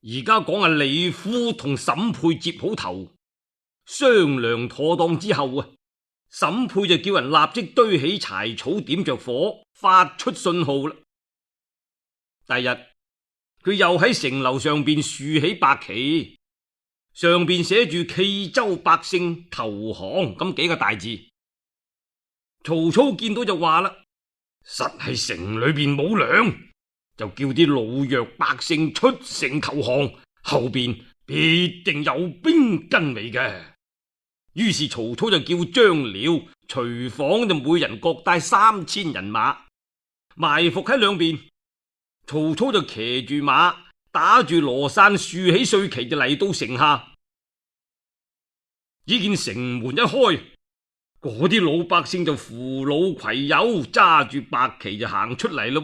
而家講阿李夫同沈佩接好頭，商量妥當之後啊，沈佩就叫人立即堆起柴草，點着火，發出信號啦。第日佢又喺城樓上邊豎起白旗，上邊寫住冀州百姓投降咁幾個大字。曹操見到就話啦，實係城裏邊冇糧，就叫啲老弱百姓出城投降，後邊必定有兵跟尾嘅。於是曹操就叫張遼、徐晃就每人各帶3000人馬，埋伏喺兩邊。曹操就騎住馬，打住羅傘，豎起帥旗就嚟到城下。只見城門一開，嗰啲老百姓就扶老攜幼，揸住白旗就行出嚟咯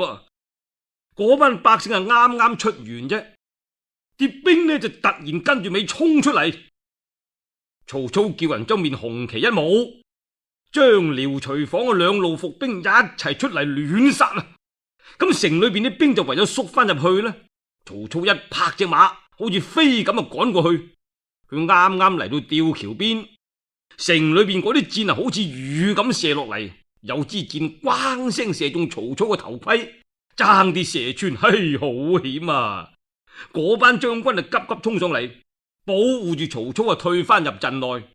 噃。嗰班百姓係啱啱出完啫，啲兵呢就突然跟住尾衝出嚟。曹操叫人將面紅旗一舞，張遼、徐晃嘅兩路伏兵一齊出嚟亂殺啊！咁城裏邊啲兵就唯有縮翻入去啦。曹操一拍隻馬，好似飛咁啊趕過去。佢啱啱嚟到吊橋邊，城裏邊嗰啲箭啊好似雨咁射落嚟，有支箭咣聲射中曹操嘅頭盔，爭啲射穿，嘿，好險啊！嗰班將軍啊急急衝上嚟，保護住曹操啊退翻入陣內。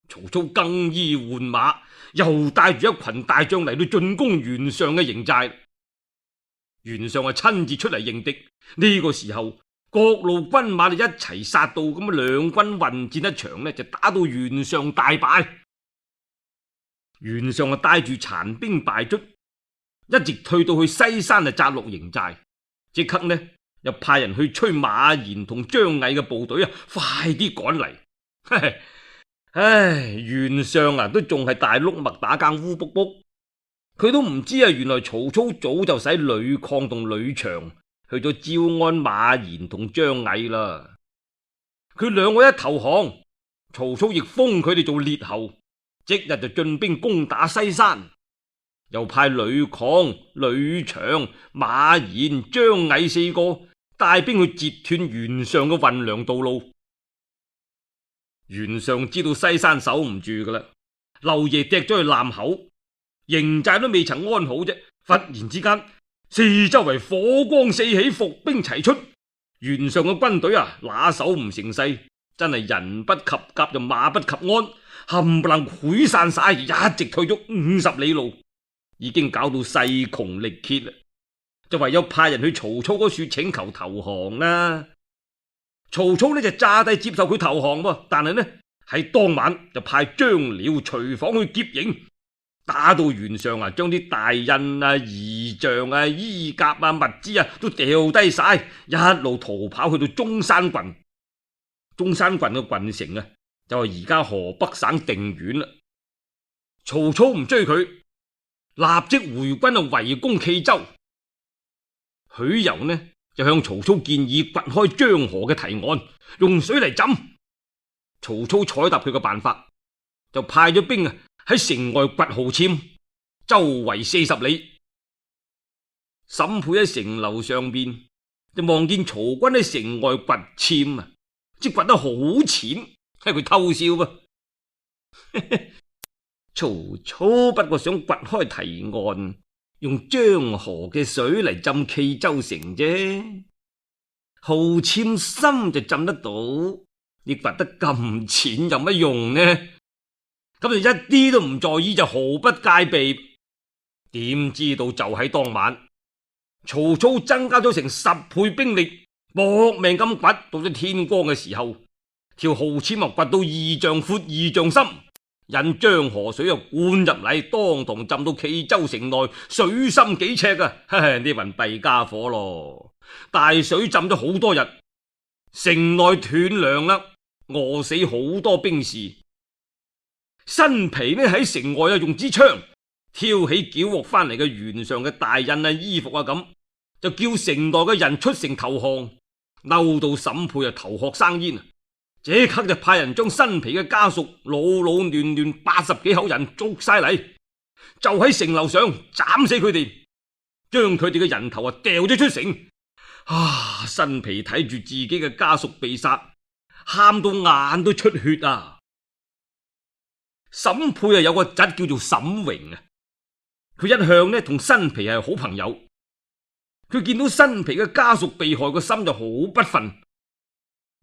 曹操更衣換馬，又帶住一群大將嚟到進攻袁尚嘅營寨。袁尚啊親自出嚟迎敵。呢個時候各路軍馬就一齊殺到，咁啊兩軍混戰一場呢，就打到袁尚大敗。袁尚啊帶住殘兵敗卒，一直退到去西山啊扎落營寨。即刻呢又派人去催馬延同張毅嘅部隊啊快啲趕嚟。唉，袁尚啊都仲係大碌麥打更烏卜卜，佢都唔知啊原來曹操早就使呂曠同呂長去咗招安馬延同張毅啦。佢兩個一投降，曹操亦封佢哋做列侯，即日就進兵攻打西山，又派呂曠、呂長、馬延、張毅4個帶兵去截斷袁尚嘅運糧道路。袁尚知道西山守唔住噶啦，漏夜趯咗去艦口，營寨都未曾安好啫，忽然之間四周圍火光四起，伏兵齊出。袁尚嘅軍隊啊拿手唔成勢，真係人不及甲就馬不及鞍，冚唪唥潰散晒，一直退咗50里路，已經搞到勢窮力竭啦，就唯有派人去曹操嗰處請求投降啦。曹操呢就詐帝接受佢投降喎，但係呢喺當晚就派張遼、徐晃去劫營，打到袁尚啊，將啲大印啊、儀仗啊、衣甲啊、物資啊都掉低晒，一路逃跑去到中山郡。中山郡嘅郡城啊，就係而家河北省定縣啦。曹操唔追佢，立即回軍啊圍攻冀州。許攸呢就向曹操建議掘開漳河嘅堤岸，用水嚟浸。曹操採納佢嘅辦法，就派咗兵啊喺城外掘壕塹，周圍40里。沈佩喺城樓上邊就望見曹軍喺城外掘塹啊，即掘得好淺，係佢偷笑噃。曹操不過想掘開堤岸，用漳河嘅水嚟浸冀州城啫，壕塹深就浸得到，你掘得咁淺有乜用呢？咁就一啲都唔在意，就毫不戒備。點知道就喺當晚，曹操增加咗成10倍兵力，搏命咁掘，到咗天光嘅時候，條壕塹啊掘到2丈闊2丈深，引漳河水啊灌入嚟，當堂浸到冀州城內，水深幾尺啊！呢群弊家伙咯，大水浸咗好多日，城內斷糧啦，餓死好多兵士。新皮呢喺城外啊用支槍挑起繳獲翻嚟嘅袁尚嘅大印啊、衣服啊咁，就叫城內嘅人出城投降。嬲到沈佩啊頭殼生煙，即刻就派人將新皮嘅家屬老老嫩嫩80幾口人捉晒嚟，就喺城樓上斬死佢哋，將佢哋嘅人頭啊掉咗出城。新皮睇住自己嘅家屬被殺，喊到眼都出血啊！沈佩有個侄叫做沈榮啊，佢一向呢同新皮係好朋友。佢見到新皮嘅家屬被害，個心就好不忿，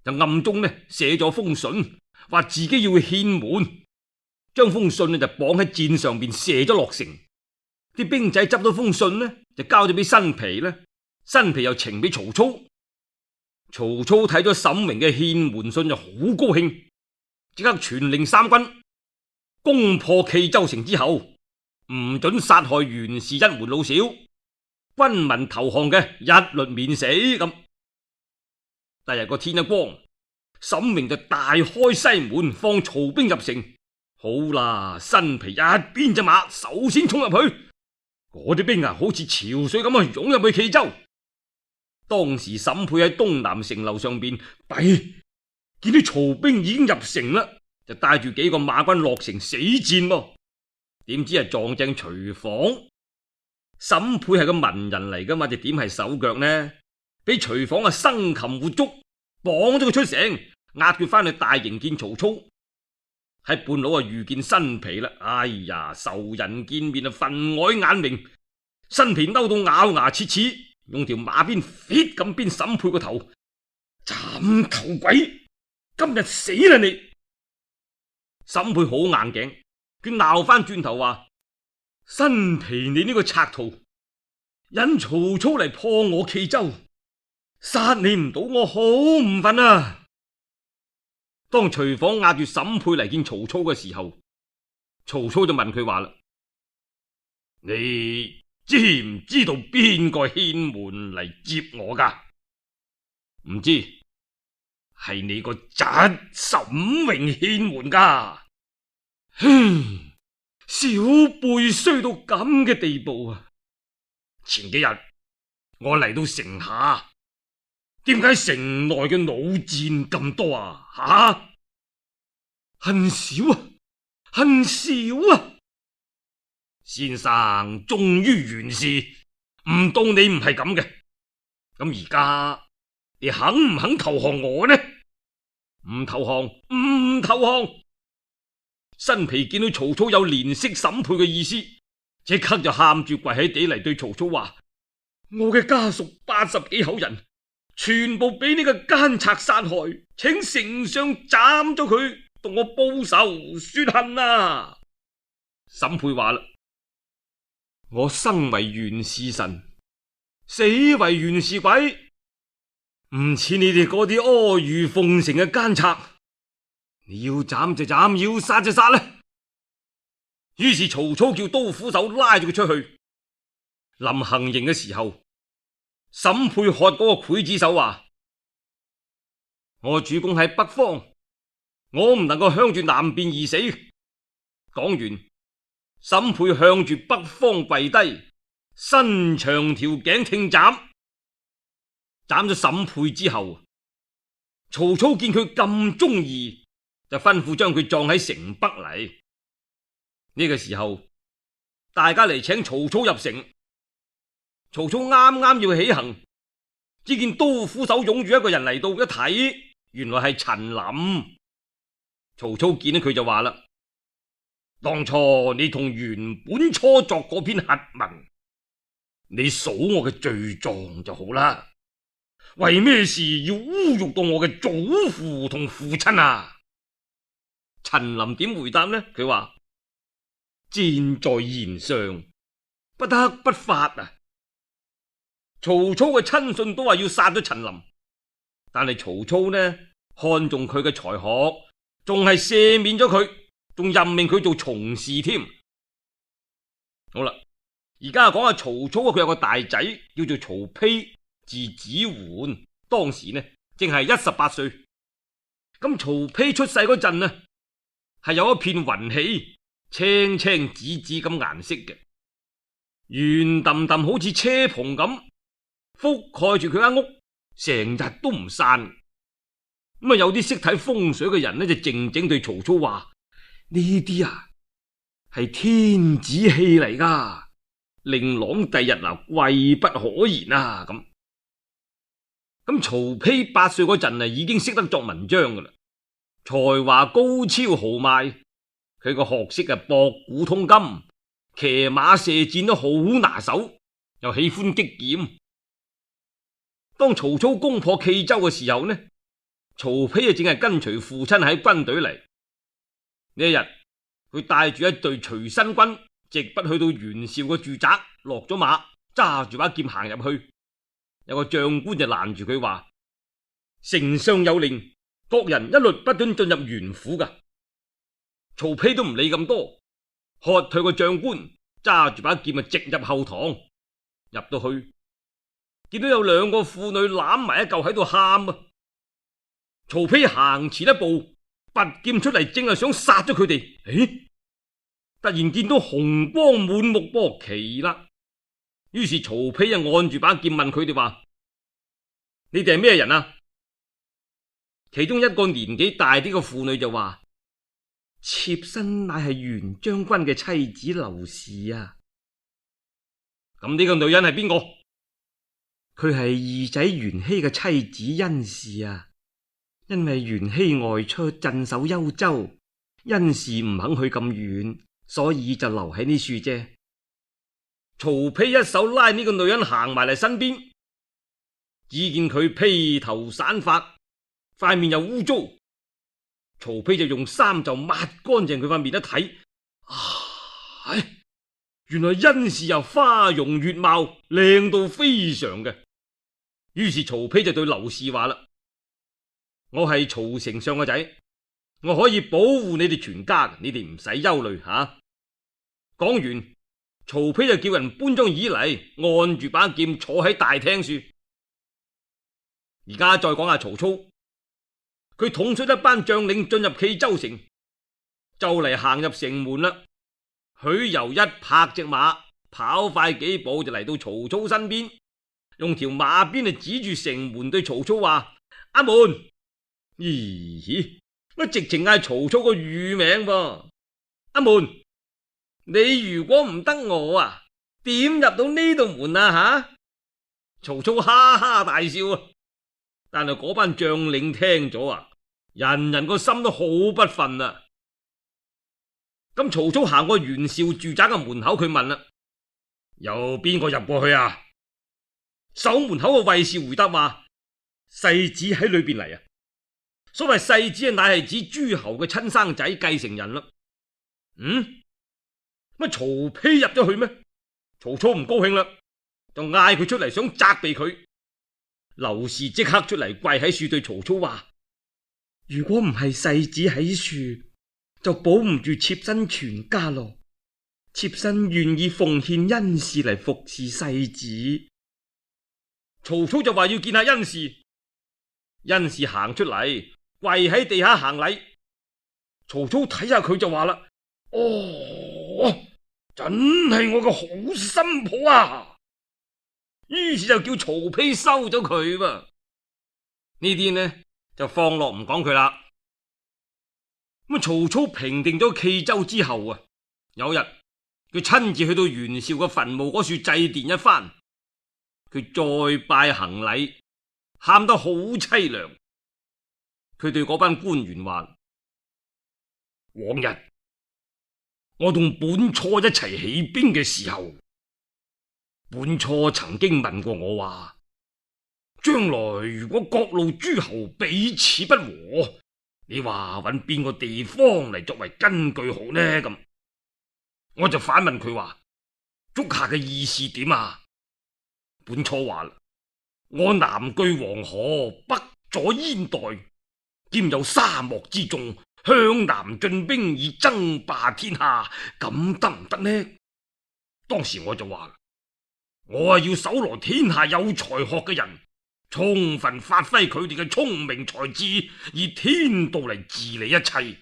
就暗中呢寫咗封信，話自己要去獻門，將封信呢就綁喺箭上邊射咗落城。啲兵仔執到封信呢，就交咗俾新皮呢，新皮又呈俾曹操。曹操睇咗沈榮嘅獻門信就好高興，即刻傳令三軍攻破冀州城之後，唔准殺害袁氏一門老小，軍民投降嘅一律免死。咁第日個天一光，沈榮就大開西門放曹兵入城。好啦，新皮一邊隻馬首先衝入去，嗰啲兵啊好似潮水咁啊湧入去冀州。當時沈佩喺東南城樓上邊，見到曹兵已經入城啦，就帶住幾個馬軍落城死戰喎。點知係撞正徐晃。沈佩係個文人嚟噶嘛，就點係手腳呢？俾徐晃啊生擒活捉，綁咗佢出城，押佢翻去大營見曹操。喺半路啊遇見新皮啦，哎呀，仇人見面啊分外眼明。新皮嬲到咬牙切齒，用條馬鞭 fit 咁鞭沈佩個頭，斬頭鬼，今日死啦你！沈佩好硬頸，佢鬧翻轉頭話：新皮你呢個賊徒，引曹操嚟破我冀州，殺你唔到我好唔忿啊！當徐晃押住沈佩嚟見曹操嘅時候，曹操就問佢話啦：你知唔知道邊個獻門嚟接我噶？唔知，係你個侄沈榮獻門噶。小輩衰到咁嘅地步啊！前幾日我嚟到城下，點解城內嘅弩箭咁多啊？恨少啊，恨少啊！先生忠於袁氏，唔到你唔係咁嘅。咁而家你肯唔肯投降我呢？唔投降，唔投降！新皮見到曹操有憐惜沈佩嘅意思，即刻就喊住跪喺地嚟對曹操話：我嘅家屬80幾口人，全部俾呢個奸賊殺害，請丞相斬咗佢，同我報仇雪恨啊！沈佩話啦：我生為袁氏臣，死為袁氏鬼，唔似你哋嗰啲阿諛奉承嘅奸賊。你要斬就斬，要殺就殺啦！於是曹操叫刀斧手拉住佢出去。臨行刑嘅時候，沈佩喝嗰個劊子手話：我主公喺北方，我唔能夠向住南邊而死。講完，沈佩向住北方跪低，伸長條頸聽斬。斬咗沈佩之後，曹操見佢咁忠義，就吩咐將佢葬喺城北嚟。呢個時候，大家嚟請曹操入城。曹操啱啱要起行，只見刀斧手擁住一個人嚟到，一睇原來係陳琳。曹操見到佢就話啦：當初你同袁本初作嗰篇檄文，你數我嘅罪狀就好啦，為咩事要侮辱到我嘅祖父同父親啊？陳琳點回答呢？佢話：箭在弦上，不得不發啊！曹操嘅親信都話要殺咗陳琳，但係曹操呢看重佢嘅才學，仲係赦免咗佢，仲任命佢做從事添。好啦，而家講下曹操，佢有個大仔叫做曹丕，字子桓，當時呢正係18歲。咁曹丕出世嗰陣啊，係有一片雲氣，青青紫紫咁顏色嘅，圓揼揼好似車棚咁，覆蓋住佢間屋，成日都唔散。咁啊，有啲識睇風水嘅人呢，就靜靜對曹操話：呢啲啊係天子氣嚟噶，令郎第日嗱貴不可言啊！咁咁曹丕8歲嗰陣已經識得作文章噶啦，才華高超豪邁，佢個學識博古通今，騎馬射箭都好拿手，又喜歡擊劍。當曹操攻破冀州嘅時候呢，曹丕正係跟隨父親喺軍隊嚟。呢一日，佢帶住一隊隨身軍，直不去到袁紹嘅住宅，落咗馬，揸住把劍行入去。有個將官就攔住佢話：丞相有令，各人一律不准進入袁府噶。曹丕都唔理咁多，喝退個將官，揸住把劍直入後堂。入到去，見到有2個婦女攬埋一嚿喺度喊啊！曹丕行前一步，拔劍出嚟，正係想殺咗佢哋。突然見到紅光滿目噃，奇啦！於是曹丕按住把劍問佢哋話：你哋係咩人啊？其中一個年紀大啲嘅婦女就話：妾身乃係袁將軍嘅妻子劉氏啊！咁呢個女人係邊個？佢係二仔袁熙嘅妻子甄氏啊！因為袁熙外出鎮守幽州，甄氏唔肯去咁遠，所以就留喺呢處啫。曹丕一手拉呢個女人行埋嚟身邊，只見佢披頭散髮，塊面又污糟。曹丕就用衫就抹乾淨佢塊面一睇，原來甄氏又花容月貌，靚到非常嘅。於是曹丕就對劉氏話啦：我係曹丞相個仔，我可以保護你哋全家，你哋唔使憂慮吓。講完，曹丕就叫人搬張椅嚟，按住把劍坐喺大廳處。而家再講下曹操，佢統率一班將領進入冀州城，就嚟行入城門啦。許攸一拍隻馬，跑快幾步就嚟到曹操身邊，用條馬鞭指住城門對曹操話：阿門！咦，乜直情嗌曹操個乳名噃？阿門，你如果唔得我啊，點入到呢度門啊吓？曹操哈哈大笑啊！但係嗰班將領聽咗啊，人人個心都好不忿啊！咁曹操行過袁紹住宅嘅門口，佢問啦：有邊個入過去啊？守門口嘅衛士回答話：世子喺裏邊嚟啊！所謂世子乃係指諸侯嘅親生仔繼承人啦。乜曹丕入咗去咩？曹操唔高興啦，就嗌佢出嚟，想責備佢。劉氏即刻出嚟跪喺樹對曹操話：如果唔係世子喺樹，就保唔住妾身全家咯。妾身願意奉獻甄氏嚟服侍世子。曹操就話要見下甄氏，甄氏行出嚟，跪喺地下行禮。曹操睇下佢就話啦：真係我個好新抱啊！於是就叫曹丕收咗佢噃。呢啲呢就放落唔講佢啦。咁曹操平定咗冀州之後啊，有日佢親自去到袁紹嘅墳墓嗰處祭奠一番，佢再拜行禮，喊得好淒涼。佢對嗰班官員話：往日我同本初一齊起兵嘅時候，本初曾經問過我話，將來如果各路諸侯彼此不和，你話揾邊個地方嚟作為根據好呢？咁我就反問佢話：足下嘅意思點啊？本初話啦，我南據黃河，北阻燕代，兼有沙漠之眾，向南進兵以爭霸天下，咁得唔得呢？當時我就話：我要搜羅天下有才學嘅人，充分發揮佢哋嘅聰明才智，以天道嚟治理一切，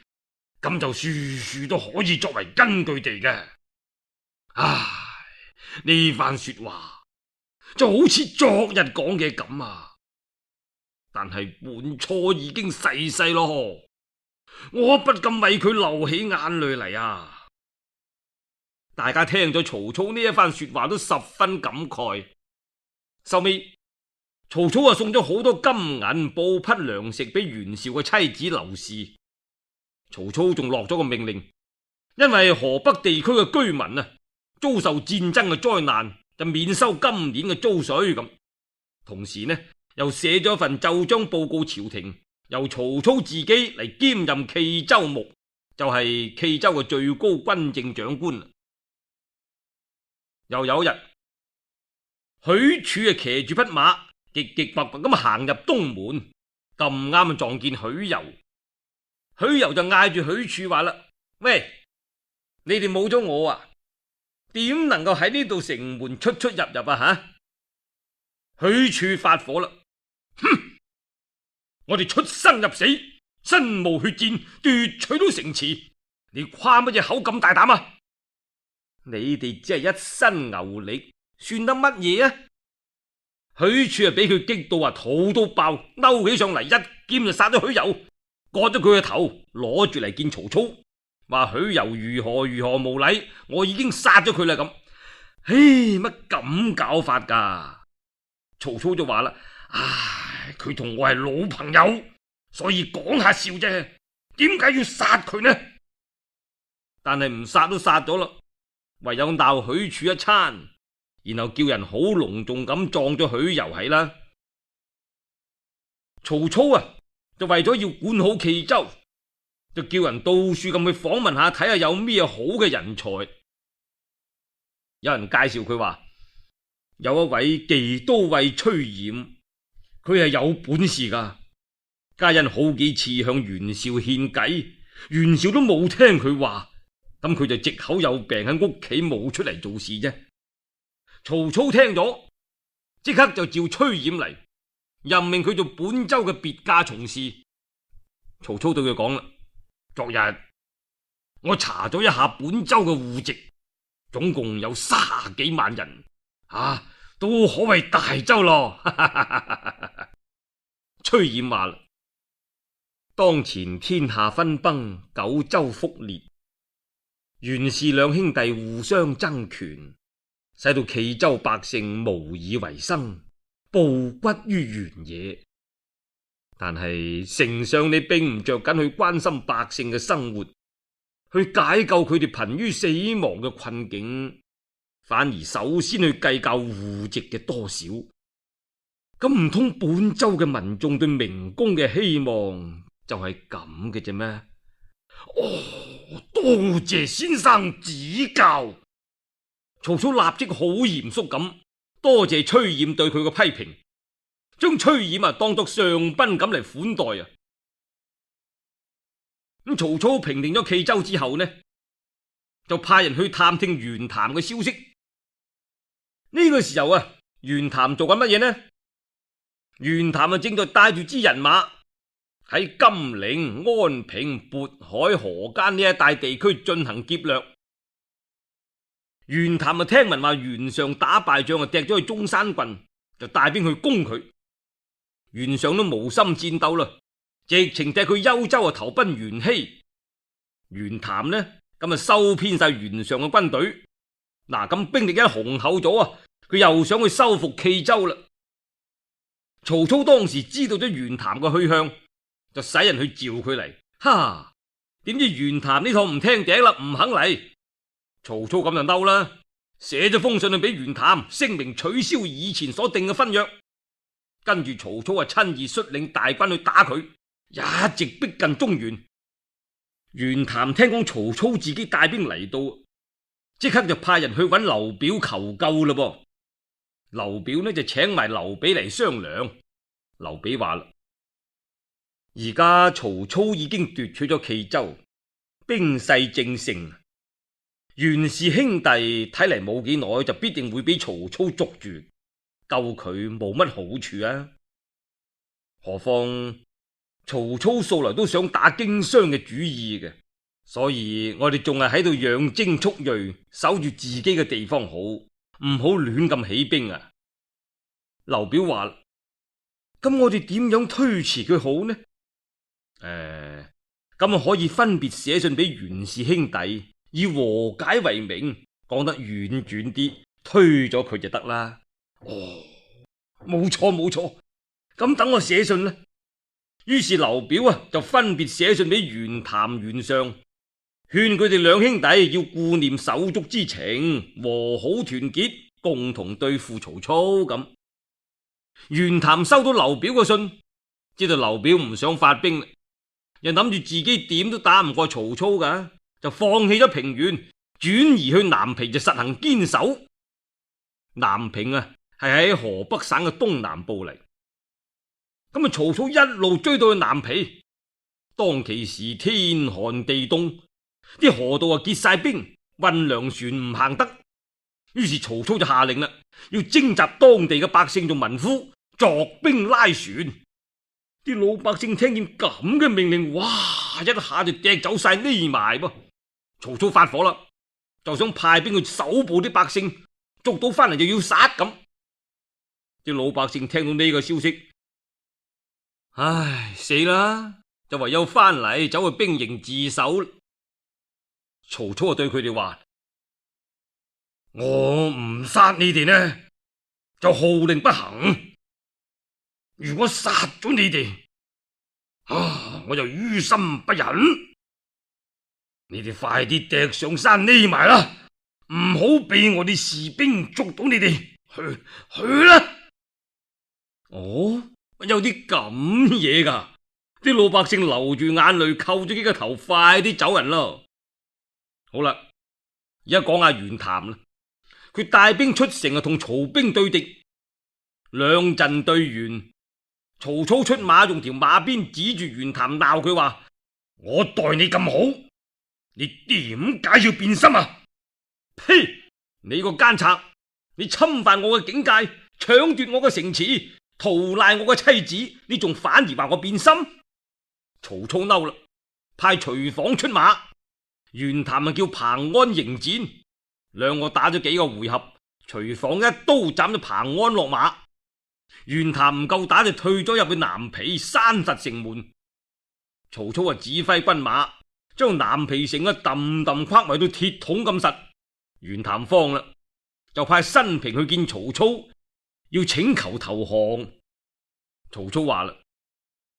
咁就處處都可以作為根據地嘅。唉，呢番說話就好似昨日講嘅咁啊！但係本初已經逝世咯，我不禁為佢流起眼淚嚟啊！大家聽咗曹操呢一番說話都十分感慨。收尾曹操啊送咗好多金銀布匹糧食俾袁紹嘅妻子劉氏。曹操仲落咗個命令，因為河北地區嘅居民啊遭受戰爭嘅災難，就免收今年嘅租稅咁。同時呢，又寫咗一份奏章報告朝廷，由曹操自己嚟兼任冀州牧，就係冀州嘅最高軍政長官。又有一日，許褚啊騎住匹馬，極極白白咁行入東門，咁啱撞見許攸。許攸就嗌住許褚話啦：喂，你哋冇咗我啊，點能夠喺呢度城門出出入入啊？吓！許褚發火啦：哼！我哋出生入死，身冒血戰，奪取到城池，你誇乜嘢口咁大膽啊？你哋只係一身牛力，算得乜嘢啊？許褚啊俾佢激到肚都爆，嬲起上嚟，一劍就殺咗許攸，割咗佢個頭，攞住嚟見曹操，話許攸如何無禮，我已經殺咗佢啦咁。唉，乜咁搞法噶？曹操就話啦：唉，佢同我係老朋友，所以講下笑啫，點解要殺佢呢？但係唔殺都殺咗啦，唯有鬧許褚一餐，然後叫人好隆重咁葬咗許攸喺啦。曹操啊就為咗要管好冀州，就叫人到處咁去訪問下，睇下有咩好嘅人才。有人介紹佢話，有一位冀都尉崔琰，佢係有本事噶，皆因好幾次向袁紹獻計，袁紹都冇聽佢話，咁佢就藉口有病喺屋企冇出嚟做事啫。曹操聽咗，即刻就召崔琰嚟，任命佢做本州嘅別駕從事。曹操對佢講啦：昨日我查咗一下本州嘅戶籍，總共有30幾萬人，都可謂大州咯。崔琰話啦：當前天下分崩，九州覆裂，袁氏兩兄弟互相爭權，使到冀州百姓無以為生，暴骨於原野。但係丞相你並唔着緊去關心百姓嘅生活，去解救佢哋瀕於死亡嘅困境，反而首先去計較戶籍嘅多少。咁唔通本州嘅民眾對明公嘅希望就係咁嘅啫咩？哦，多謝先生指教。曹操立即好嚴肅咁多謝崔琰對佢嘅批評，將崔琰當作上賓咁嚟款待啊。咁曹操平定咗冀州之後呢，就派人去探聽袁譚嘅消息。呢個時候啊，袁譚做緊乜嘢呢？袁譚正在帶住支人馬喺金陵、安平、渤海、河間呢一帶地區進行劫掠。袁譚聽聞話袁尚打敗仗啊，趯咗去中山郡，就帶兵去攻佢。袁尚都無心戰鬥啦，直情趯去幽州投奔袁熙。袁譚呢咁收編晒袁尚嘅軍隊。咁兵力一雄厚咗，佢又想去收復冀州啦。曹操當時知道咗袁譚嘅去向，就使人去召佢嚟。點知袁譚呢趟唔聽頂啦，唔肯嚟。曹操咁就嬲啦，寫咗封信去俾袁譚，聲明取消以前所定嘅婚約。跟住曹操親自率領大軍去打佢，一直逼近中原。袁譚聽講曹操自己帶兵嚟到，即刻就派人去揾劉表求救啦噃。劉表呢就請埋劉備嚟商量。劉備話啦：而家曹操已經奪取咗冀州，兵勢正盛，袁氏兄弟睇嚟冇幾耐就必定會俾曹操捉住，救佢冇乜好處啊。何況曹操素來都想打經商嘅主意嘅，所以我哋仲係喺度養精蓄銳，守住自己嘅地方好，唔好亂咁起兵啊。劉表話：咁我哋點樣推辭佢好呢？咁可以分別寫信俾袁氏兄弟，以和解為名，講得婉轉啲，推咗佢就得啦。冇錯冇錯，咁等我寫信啦。於是劉表就分別寫信俾袁譚、袁尚，勸佢哋兩兄弟要顧念手足之情，和好團結，共同對付曹操。咁袁譚收到劉表嘅信，知道劉表唔想發兵，又諗住自己點都打唔過曹操噶，就放棄咗平原，轉移去南皮就實行堅守。南平係喺河北省嘅東南部嚟。咁曹操一路追到去南皮，當其時天寒地凍，啲河道結晒冰，運糧船唔行得。於是曹操就下令啦，要徵集當地嘅百姓做民夫，作兵拉船。啲老百姓聽見咁嘅命令，哇！一下就趯走晒匿埋噃。曹操發火啦，就想派兵去搜捕啲百姓，捉到翻嚟就要殺咁。啲老百姓聽到呢個消息，唉，死啦！就唯有翻嚟走去兵營自首。曹操就對佢哋話：我唔殺你哋呢，就號令不行；如果殺咗你哋，我就於心不忍。你哋快啲趯上山匿埋啦，唔好俾我啲士兵捉到你哋。去啦！哦。有啲咁嘢噶，啲老百姓流住眼淚，扣咗幾個頭，快啲走人咯。好啦，而家講下袁譚啦，佢帶兵出城同曹兵對敵，兩陣對完，曹操出馬，用條馬鞭指住袁譚鬧佢話：我待你咁好，你點解要變心啊？呸！你個奸賊，你侵犯我嘅境界，搶奪我嘅城池，屠賴我嘅妻子，你仲反而話我變心？曹操嬲啦，派徐晃出馬，袁譚叫彭安迎戰，兩個打咗幾個回合，徐晃一刀斬咗彭安落馬，袁譚唔夠打就退咗入去南皮，閂實城門。曹操指揮軍馬將南皮城揼揼框圍到鐵桶咁實，袁譚慌啦，就派新平去見曹操，要請求投降。曹操話啦：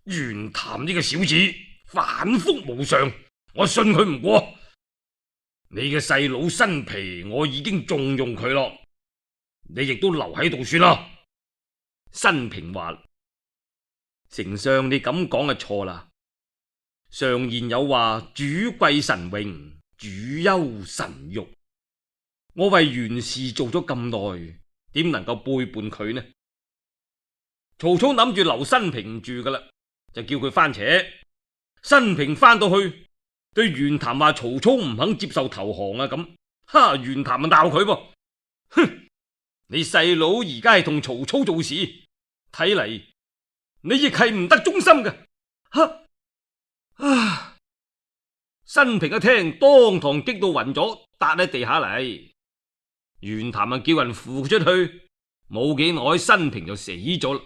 袁譚呢個小子反覆無常，我信佢唔過。你嘅細佬新皮我已經重用佢咯，你亦都留喺度算啦。新平話：丞相你咁講就錯啦。常言有話，主貴神榮，主憂神辱。我為袁氏做咗咁耐，點能夠背叛佢呢？曹操諗住留新平住噶啦，就叫佢翻扯。新平翻到去，對袁譚話曹操唔肯接受投降啊咁。哈！袁譚就鬧佢噃，哼！你細佬而家係同曹操做事，睇嚟你亦係唔得忠心嘅。新平一聽，當堂激到暈咗，笪喺地下嚟。袁譚叫人扶出去，冇幾耐，新平就死咗啦。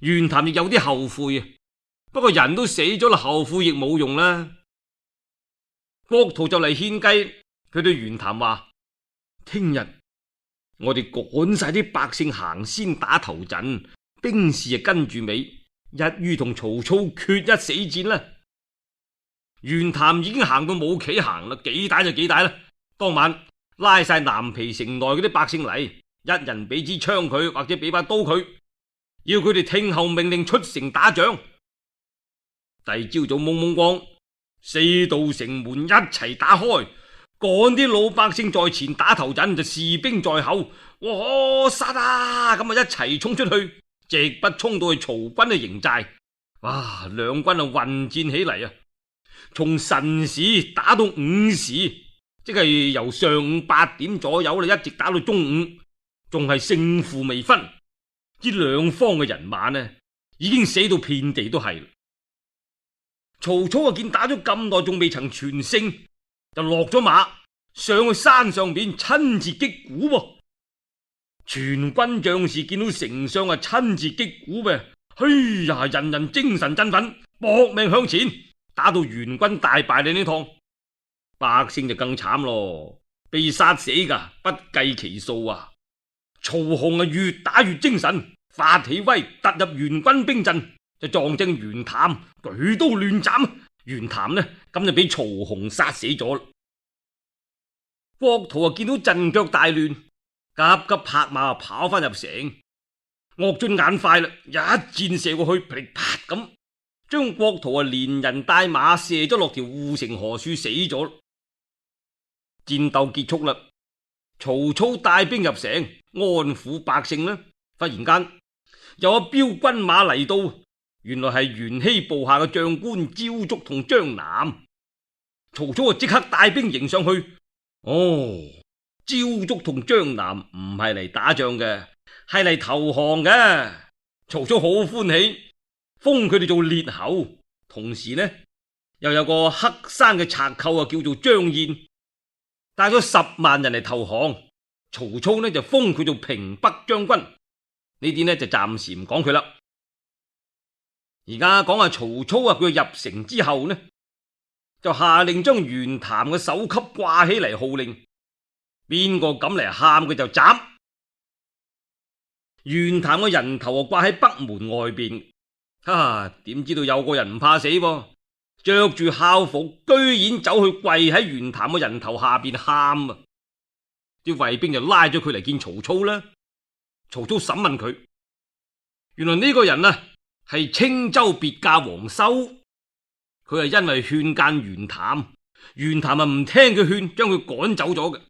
袁譚亦有啲後悔啊，不過人都死咗啦，後悔亦冇用啦。郭圖就嚟獻計，佢對袁譚話：聽日我哋趕晒啲百姓行先打頭陣，兵士就跟住尾，一於同曹操決一死戰啦。袁譚已經行到冇企行啦，幾大就幾大啦。當晚拉晒南皮城內嗰啲百姓嚟，一人俾支槍佢，或者俾把刀佢，要佢哋聽候命令出城打仗。第二朝早蒙蒙光，四道城門一齊打開，趕啲老百姓在前打頭陣，就士兵在後，哇殺啊！咁一齊衝出去，直不衝到去曹軍嘅營寨。哇！兩軍混戰起嚟啊！從辰時打到午時，即係由上午8點左右一直打到中午，仲係勝負未分。呢兩方嘅人馬呢，已經死到遍地都係。曹操見打咗咁耐仲未曾全勝，就落咗馬上去山上邊親自擊鼓噃。全軍將士見到丞相親自擊鼓嘅，哎呀，人人精神振奮，搏命向前。打到袁軍大敗你呢趟，百姓就更慘咯，被殺死噶不計其數啊！曹洪越打越精神，發起威，突入袁軍兵陣，就撞正袁譚，舉刀亂斬。袁譚呢咁就俾曹洪殺死咗。郭圖見到陣腳大亂，急急拍馬跑翻入城。岳俊眼快啦，一箭射過去，噼里啪咁將郭圖連人帶馬射咗落條護城河處死咗。戰鬥結束啦，曹操帶兵入城安撫百姓啦。忽然間有一彪軍馬嚟到，原來係袁熙部下嘅將官焦竹同張南。曹操即刻帶兵迎上去。哦，焦竹同張南唔係嚟打仗嘅，係嚟投降嘅。曹操好歡喜，封佢哋做列侯，同時呢又有個黑山嘅賊寇叫做張燕，帶咗10萬人嚟投降。曹操呢就封佢做平北將軍。呢啲呢就暫時唔講佢啦。而家講下曹操佢入城之後呢，就下令將袁譚嘅首級掛起嚟，號令邊個敢嚟喊佢就斬。袁譚嘅人頭掛喺北門外邊，點知道有個人唔怕死噃，着住校服，居然走去跪喺袁譚嘅人頭下邊喊啊！啲衛兵就拉咗佢嚟見曹操啦。曹操審問佢，原來呢個人啊係青州別駕王修，佢係因為勸諫袁譚，袁譚唔聽佢勸，將佢趕走咗嘅。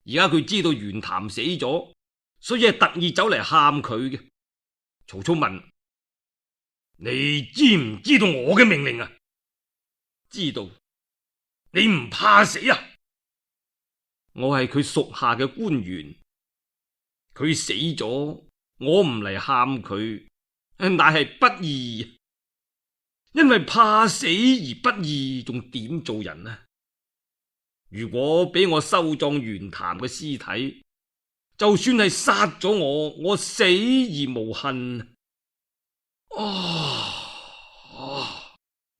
而家佢知道袁譚死咗，所以係特意走嚟喊佢嘅。曹操問：你知唔知道我嘅命令啊？知道。你唔怕死啊？我係佢屬下嘅官員，佢死咗，我唔嚟喊佢，乃係不義。因為怕死而不義，仲點做人啊？如果俾我收葬袁譚嘅屍體，就算係殺咗我死而無恨。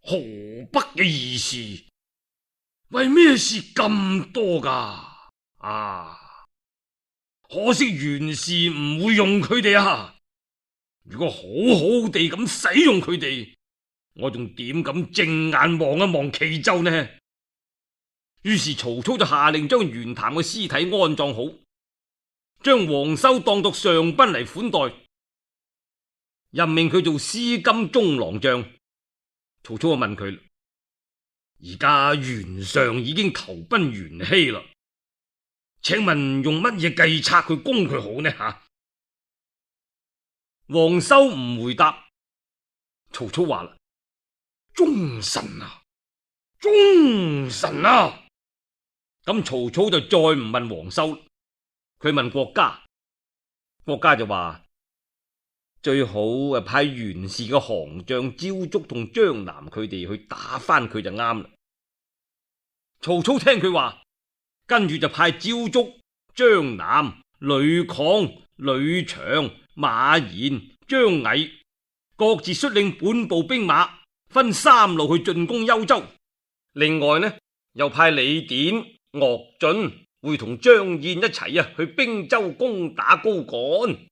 河北嘅義士為咩事咁多噶？可惜袁氏唔會用佢哋啊！如果好好地咁使用佢哋，我仲點敢正眼望一望冀州呢？於是曹操就下令將袁譚嘅屍體安葬好，將王修當作上賓嚟款待，任命佢做司金中郎將。曹操就問佢：而家袁尚已經投奔袁熙啦，請問用乜嘢計策去攻佢好呢？王修唔回答。曹操話啦：忠臣啊，忠臣啊！咁曹操就再唔問王修，佢問郭嘉。郭嘉就話：最好派袁氏嘅降將焦竹同張南佢哋去打翻佢就啱啦。曹操聽佢話，跟住就派焦竹、張南、呂曠、呂長、馬延、張毅各自率領本部兵馬，分3路去進攻幽州。另外呢，又派李典、岳進會同張燕一齊去兵州攻打高幹。